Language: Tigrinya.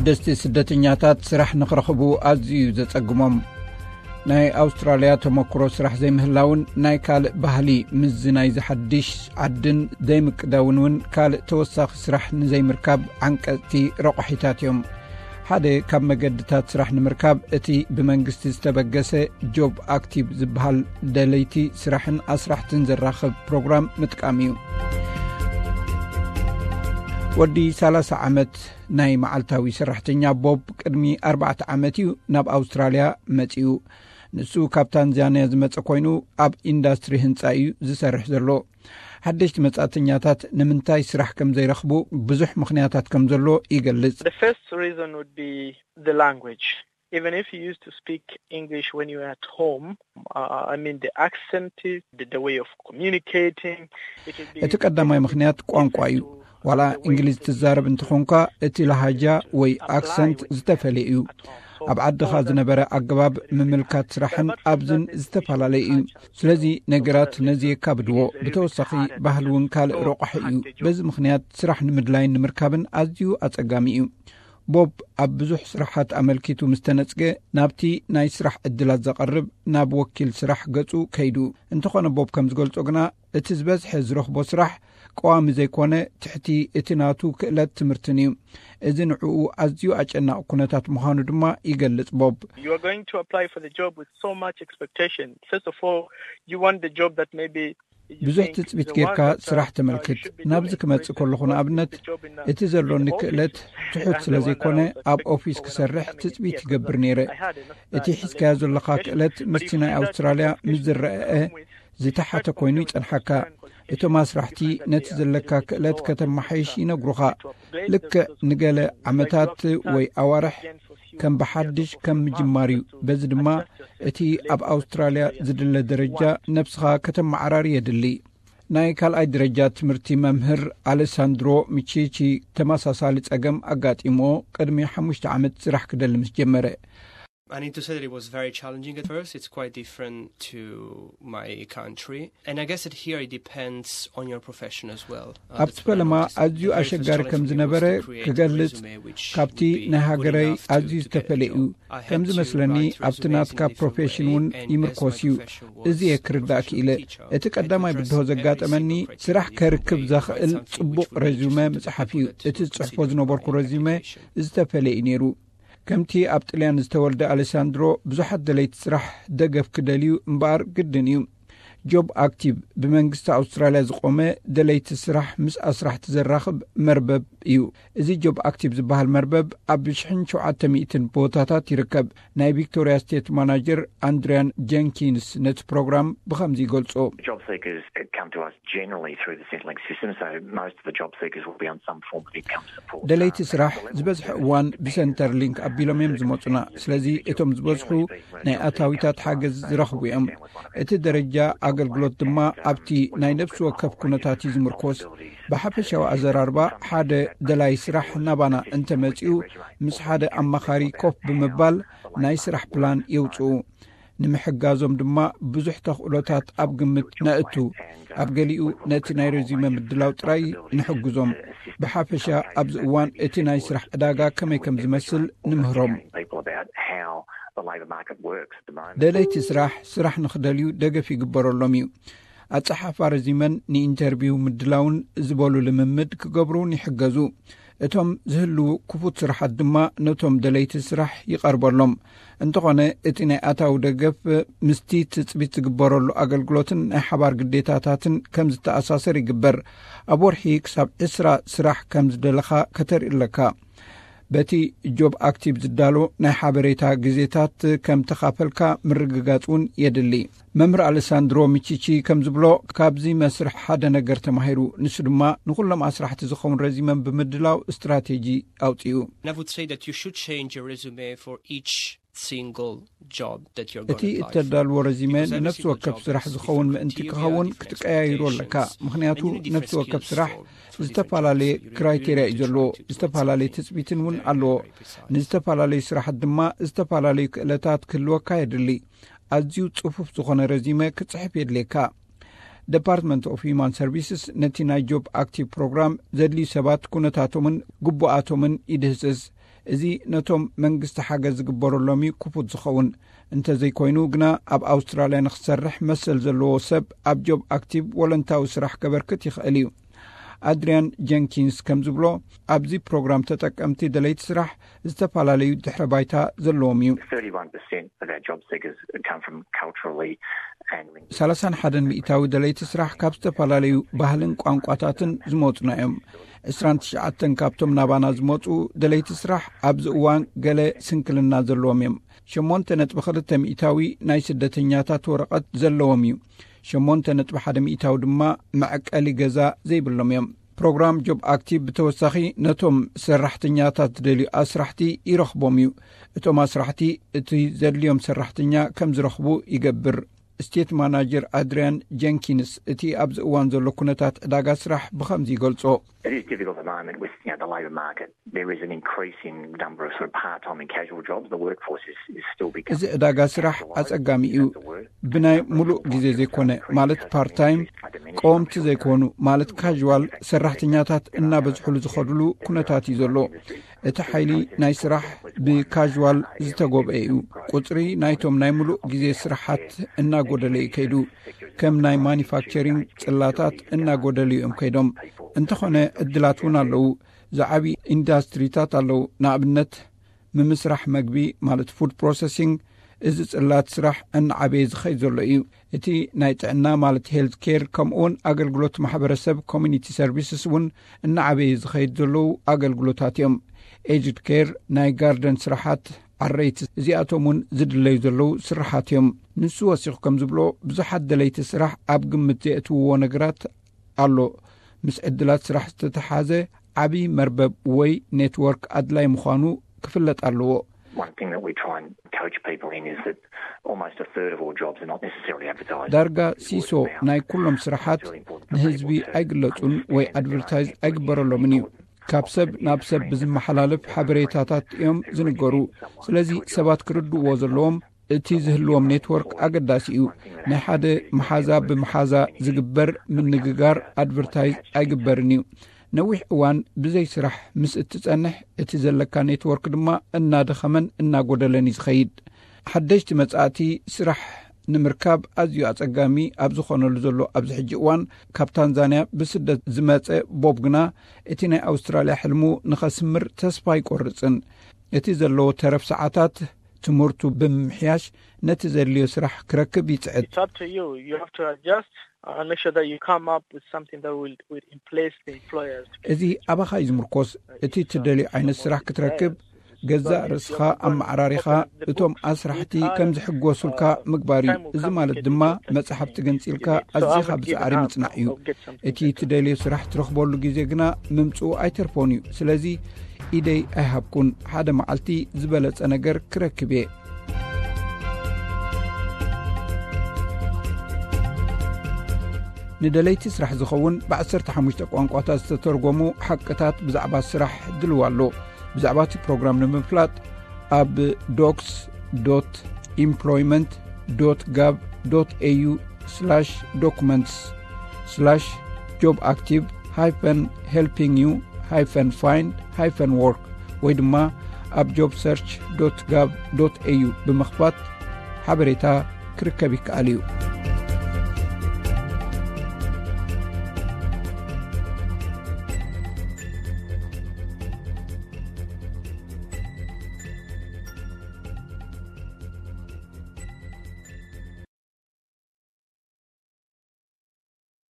ደስቲ ስደተኛታት ስራሕ ንኽረኽቡ ኣዝዩ እዩ ዘጸግሞም። ናይ ኣውስትራልያ ተመክሮ ስራሕ ዘይምህላውን ናይ ካልእ ባህሊ ምስዚ ናይ ዝሓድሽ ዓድን ዘይምቅዳውን እውን ካልእ ተወሳኺ ስራሕ ንዘይምርካብ ዓንቀጽቲ ረቑሒታት እዮም። ሓደ ካብ መገድታት ስራሕ ንምርካብ እቲ ብመንግስቲ ዝተበገሰ ጆብ ኣክቲቭ ዝበሃል ደለይቲ ስራሕን ኣስራሕትን ዘራኽብ ፕሮግራም ምጥቃም እዩ። ወዲ ሰላሳ ዓመት ናይ መዓልታዊ ሰራሕተኛ ቦብ ቅድሚ ኣርባዕተ ዓመት እዩ ናብ ኣውስትራልያ መጺኡ። ንሱ ካብ ታንዛንያ ዝመጸ ኮይኑ ኣብ ኢንዳስትሪ ህንጻ እዩ ዝሰርሕ ዘሎ። ሓደሽቲ መጻእተኛታት ንምንታይ ስራሕ ከም ዘይረኽቡ ብዙሕ ምኽንያታት ከም ዘሎ ይገልጽ። The first reason would be the language. Even if you used to speak English when you were at home, uh, I mean the accent, the, the way of communicating, it would be እቲ ቀዳማይ ምኽንያት ቋንቋ እዩ። ዋላ እንግሊዝ ትዛረብ እንተኾንካ፣ እቲ ላሃጃ ወይ ኣክሰንት ዝተፈለየ እዩ። ኣብ ዓድኻ ዝነበረ ኣገባብ ምምልካት ስራሕን ኣብዝን ዝተፈላለየ እዩ። ስለዚ ነገራት ነዚ የካብድዎ። ብተወሳኺ ባህሊ እውን ካልእ ረቋሒ እዩ። በዚ ምኽንያት ስራሕ ንምድላይን ንምርካብን ኣዝዩ ኣጸጋሚ እዩ። ቦብ ኣብ ብዙሕ ስራሓት ኣመልኪቱ ምስ ተነጽገ፣ ናብቲ ናይ ስራሕ ዕድላት ዘቐርብ ናብ ወኪል ስራሕ ገጹ ከይዱ። እንተኾነ ቦብ ከም ዝገልጾ ግና፣ እቲ ዝበዝሐ ዝረኽቦ ስራሕ ቀዋሚ ዘይኮነ፣ ትሕቲ እቲ ናቱ ክእለት ትምህርትን እዩ። እዚ ንዕኡ ኣዝዩ ኣጨናቒ ኩነታት ምዃኑ ድማ ይገልጽ ቦብ። You are going to apply for the job with so much expectation. First of all, you want the job that maybe you ብዙሕ think ትጽቢት the ጌርካ one that, uh, ስራሕ ተመልክት። should be ናብዚ doing. ክመጽእ For ከለኹ example, ንኣብነት the job in, uh, እቲ ዘሎኒ in the ክእለት office ትሑት and ስለ the one that ዘይኮነ I was ኣብ expecting ኦፊስ for when I was ክሰርሕ coming ትጽቢት here, ይገብር because ነይረ። I had enough እቲ that, uh, ሒዝካዮ that ዘለኻ qualification. ክእለት But ምስቲ if you ናይ start ኣውስትራልያ with ምስ ዝረአ qualification, ዝተሓተ ኮይኑ ይጸንሓካ። እቶም ኣስራሕቲ ነቲ ዘለካ ክእለት ከተመሓይሽ ይነግሩኻ። ልክዕ ንገለ ዓመታት ወይ ኣዋርሕ ከም ብሓድሽ ከም ምጅማር እዩ። በዚ ድማ እቲ ኣብ ኣውስትራልያ ዝድለ ደረጃ ነብስኻ ከተመዓራሪ የድሊ። ናይ ካልኣይ ደረጃ ትምህርቲ መምህር ኣሌሳንድሮ ሚቺቺ ተመሳሳሊ ጸገም ኣጋጢሞ ቅድሚ ሓሙሽተ ዓመት ስራሕ ክደሊ ምስ ጀመረ። I need to say that it was very challenging at first. It's quite different to my country. And I guess that here it depends on your profession as well. Uh, ኣብቲ ፈለማ ኣዝዩ ኣሸጋሪ ከም ዝነበረ ክገልጽ ካብቲ ናይ ሃገረይ ኣዝዩ ዝተፈለየ እዩ። ከም ዝመስለኒ ኣብቲ ናትካ ፕሮፌሽን እውን ይምርኮስ እዩ። እዚ እየ ክርዳእ ክኢለ። እቲ ቀዳማይ ብድሆ ዘጋጠመኒ ስራሕ ከርክብ ዘኽእል ጽቡቕ ረዚመ ምጽሓፍ እዩ። እቲ ዝጽሕፎ ዝነበርኩ ረዚመ ዝተፈለየ እዩ ነይሩ። ከምቲ ኣብ ጥልያን ዝተወልደ ኣሌሳንድሮ፣ ብዙሓት ደለይቲ ስራሕ ደገፍ ክደልዩ እምበኣር ግድን እዩ። ጆብ ኣክቲቭ ብመንግስቲ ኣውስትራልያ ዝቖመ ደለይቲ ስራሕ ምስ ኣስራሕቲ ዘራኽብ መርበብ እዩ። እዚ ጆብ ኣክቲቭ ዝበሃል መርበብ ኣብ ሽሕን ሸውዓተ ሚእትን ቦታታት ይርከብ። ናይ ቪክቶሪያ ስቴት ማናጀር ኣንድሪያን ጀንኪንስ ነቲ ፕሮግራም ብኸምዚ ይገልጾ። Job seekers come to us generally through the Centrelink system, so most of the job seekers will be on some form of income support. ደለይቲ ስራሕ ዝበዝሐ እዋን ብሰንተር ሊንክ ኣቢሎም እዮም ዝመጹና። ስለዚ እቶም ዝበዝሑ ናይ ኣታዊታት ሓገዝ ዝረኽቡ እዮም። እቲ ደረጃ ኣገልግሎት ድማ ኣብቲ ናይ ነፍሲ ወከፍ ኩነታት እዩ ዝምርኮስ። ብሓፈሻዊ ኣዘራርባ፣ ሓደ ደላይ ስራሕ ናባና እንተመጺኡ፣ ምስ ሓደ ኣማኻሪ ኮፍ ብምባል ናይ ስራሕ ፕላን የውጽኡ። ንምሕጋዞም ድማ ብዙሕ ተኽእሎታት ኣብ ግምት ነእቱ። ኣብ ገሊኡ ነቲ ናይ ረዚመ ምድላው ጥራይ ንሕግዞም። ብሓፈሻ ኣብዚ እዋን እቲ ናይ ስራሕ ዕዳጋ ከመይ ከም ዝመስል ንምህሮም። People about how the labour market works at the moment. ደለይቲ ስራሕ ስራሕ ንኽደልዩ ደገፍ ይግበረሎም እዩ። ኣጸሓሕፋ ረዚመን ንኢንተርቪው ምድላውን ዝበሉ ልምምድ ክገብሩን ይሕገዙ። እቶም ዝህልዉ ክፉት ስራሓት ድማ ነቶም ደለይቲ ስራሕ ይቐርበሎም። እንተኾነ እቲ ናይ ኣታዊ ደገፍ ምስቲ ትጽቢት ዝግበረሉ ኣገልግሎትን ናይ ሓባር ግዴታታትን ከም ዝተኣሳሰር ይግበር። ኣብ ወርሒ ክሳብ ዕስራ ስራሕ ከም ዝደለኻ ከተርኢ ኣለካ። በቲ ጆብ ኣክቲቭ ዝዳሎ ናይ ሓበሬታ ግዜታት ከም ተኻፈልካ ምርግጋጽ እውን የድሊ። መምህር ኣሌሳንድሮ ሚቺቺ ከም ዝብሎ፣ ካብዚ መስርሕ ሓደ ነገር ተማሂሩ። ንሱ ድማ ንኹሎም ኣስራሕቲ ዝኸውን ረዚመን ብምድላው ስትራቴጂ ኣውጺኡ። And I would say that you should change your resume for each single job that you're going እቲ to apply for. እተዳልዎ ረዚመ Because every ንነፍሲ single ወከፍ job ስራሕ has ዝኸውን different ምእንቲ criteria, ክኸውን different ክትቀያይሮ ኣለካ። expectations, ምኽንያቱ and you need different ነፍሲ ወከፍ skills ስራሕ for, for different ዝተፈላለየ jobs. So you really ክራይቴርያ need እዩ to ዘለዎ። try to do it ዝተፈላለየ something ትጽቢትን እውን very, ኣለዎ። very precise. ንዝተፈላለዩ ስራሓት ድማ ዝተፈላለዩ ክእለታት ክህልወካ የድሊ። ኣዝዩ ጽፉፍ ዝኾነ ረዚመ ክትጽሕፍ የድልየካ። ደፓርትመንት ኦፍ ሂማን ሰርቪስስ ነቲ ናይ ጆብ ኣክቲቭ ፕሮግራም ዘድልዩ ሰባት ኩነታቶምን ግቡኣቶምን ይድህስስ። እዚ ነቶም መንግስቲ ሓገዝ ዝግበረሎም እዩ ክፉት ዝኸውን። እንተዘይኮይኑ ግና፣ ኣብ ኣውስትራልያ ንክሰርሕ መሰል ዘለዎ ሰብ ኣብ ጆብ ኣክቲቭ ወለንታዊ ስራሕ ከበርክት ይኽእል እዩ። ኣድሪያን ጀንኪንስ ከም ዝብሎ፣ ኣብዚ ፕሮግራም ተጠቀምቲ ደለይቲ ስራሕ ዝተፈላለዩ ድሕረ ባይታ ዘለዎም እዩ። Thirty-one percent of our job seekers come from culturally and linguistically. ሰላሳን ሓደን ሚእታዊ ደለይቲ ስራሕ ካብ ዝተፈላለዩ ባህልን ቋንቋታትን ዝመፁና እዮም። ዕስራን ትሽዓተን ካብቶም ናባና ዝመፁ ደለይቲ ስራሕ ኣብዚ እዋን ገለ ስንክልና ዘለዎም እዮም። ሸሞንተ ነጥቢ ክልተ ሚእታዊ ናይ ስደተኛታት ወረቐት ዘለዎም እዩ። ሸሞንተ ነጥቢ ሓደ ሚእታዊ ድማ መዕቀሊ ገዛ ዘይብሎም እዮም። ፕሮግራም ጆብ ኣክቲቭ ብተወሳኺ ነቶም ሰራሕተኛታት ዝደልዩ ኣስራሕቲ ይረኽቦም እዩ። እቶም ኣስራሕቲ እቲ ዘድልዮም ሰራሕተኛ ከም ዝረኽቡ ይገብር። ስቴት ማናጀር ኣድሪያን ጀንኪንስ እቲ ኣብዚ እዋን ዘሎ ኩነታት ዕዳጋ ስራሕ ብኸምዚ ይገልጾ። It is difficult at the moment with, you know, the labour market. There is an increasing number of sort of part-time and casual jobs. The workforce is, is still becoming. እዚ ዕዳጋ ስራሕ ኣጸጋሚ እዩ። ብናይ ሙሉእ ግዜ ዘይኮነ፣ ማለት ፓርት ታይም፣ ቀወምቲ ዘይኮኑ፣ ማለት ካዥዋል ሰራሕተኛታት እናበዝሑሉ ዝኸዱሉ ኩነታት እዩ ዘሎ። እቲ ሓይሊ ናይ ስራሕ ብካዥዋል ዝተጎብአ እዩ። ቁጽሪ ናይቶም ናይ ሙሉእ ግዜ ስራሓት እናጎደለ እዩ ከይዱ። ከም ናይ ማኒፋክቸሪንግ ጽላታት እናጎደሉ እዮም ከይዶም። እንተኾነ፣ ዕድላት እውን ኣለዉ። ዝዓቢ ኢንዳስትሪታት ኣለዉ። ንኣብነት፣ ምምስራሕ መግቢ፣ ማለት ፉድ ፕሮሰሲንግ፣ እዚ ጽላት ስራሕ እናዓበየ ዝኸይድ ዘሎ እዩ። እቲ ናይ ጥዕና፣ ማለት ሄልት ኬር፣ ከምኡውን ኣገልግሎት ማሕበረሰብ፣ ኮሚኒቲ ሰርቪስስ፣ እውን እናዓበየ ዝኸይድ ዘለዉ ኣገልግሎታት እዮም። ኤጅድ ኬር፣ ናይ ጋርደን ስራሓት፣ ዓረይቲ፣ እዚኣቶም እውን ዝድለዩ ዘለዉ ስራሓት እዮም። ንሱ ወሲኹ ከም ዝብሎ፣ ብዙሓት ደለይቲ ስራሕ ኣብ ግምት ዘየእትውዎ ነገራት ኣሎ። ምስ ዕድላት ስራሕ ዝተተሓዘ ዓቢ መርበብ ወይ ኔትወርክ ኣድላይ ምዃኑ ክፍለጥ ኣለዎ። One thing that we try and coach people in is that almost a third of all jobs are not necessarily advertised. ዳርጋ ሲሶ ናይ ኩሎም ስራሓት ንህዝቢ ኣይግለጹን ወይ ኣድቨርታይዝ ኣይግበረሎምን እዩ። ካብ ሰብ ናብ ሰብ ብዝመሓላለፍ ሓበሬታታት እዮም ዝንገሩ። ስለዚ ሰባት ክርድእዎ ዘለዎም እቲ ዝህልዎም ኔትወርክ ኣገዳሲ እዩ። ናይ ሓደ መሓዛ ብመሓዛ ዝግበር ምንግጋር ኣድቨርታይዝ ኣይግበርን እዩ። ነዊሕ እዋን ብዘይ ስራሕ ምስ እትጸንሕ፣ እቲ ዘለካ ኔትወርክ ድማ እናደኸመን እናጎደለን እዩ ዝኸይድ። ሓደሽቲ መጻእቲ ስራሕ ንምርካብ ኣዝዩ ኣጸጋሚ ኣብ ዝኾነሉ ዘሎ ኣብዚ ሕጂ እዋን፣ ካብ ታንዛንያ ብስደት ዝመጸ ቦብ ግና፣ እቲ ናይ ኣውስትራልያ ሕልሙ ንኸስምር ተስፋ ኣይቆርጽን። እቲ ዘለዎ ተረፍ ሰዓታት ትምህርቱ ብምምሕያሽ ነቲ ዘድልዮ ስራሕ ክረክብ ይጽዕት። It's up to you. You have to adjust and make sure that you come up with something that will, will impress the employers. እዚ ኣባኻ እዩ ዝምርኮስ። እቲ ትደልዮ ዓይነት ስራሕ ክትረክብ፣ ገዛእ ርእስኻ ኣመዓራሪኻ እቶም ኣስራሕቲ ከም ዝሕጎሱልካ ምግባር እዩ። እዚ ማለት ድማ መጻሕፍቲ ገንጺልካ ኣዚኻ ብጻዕሪ ምጽናዕ እዩ። እቲ ትደልዮ ስራሕ ትረኽበሉ ግዜ ግና ምምጽኡ ኣይተርፎን እዩ። ስለዚ ኢደይ ኣይሃብኩን። ሓደ መዓልቲ ዝበለጸ ነገር ክረክብ እየ። ንደለይቲ ስራሕ ዝኸውን ብዓሰርተ ሓሙሽተ ቋንቋታት ዝተተርጎሙ ሓቅታት ብዛዕባ ስራሕ ድልው ኣሎ። ብዛዕባ እቲ ፕሮግራም ንምፍላጥ፣ ኣብ ዶክስ ዶት ኢምፕሎይመንት ዶት ጋቭ ዶት ኤዩ ስላሽ ዶኩመንትስ ስላሽ ጆብ ኣክቲቭ ሃይፈን ሄልፒንግ ዩ ሃይፈን ፋይንድ ሃይፈን ወርክ ወይ ድማ ኣብ ጆብ ሰርች ዶት ጋቭ ዶት ኤዩ ብምኽፋት ሓበሬታ ክርከብ ይከኣል እዩ።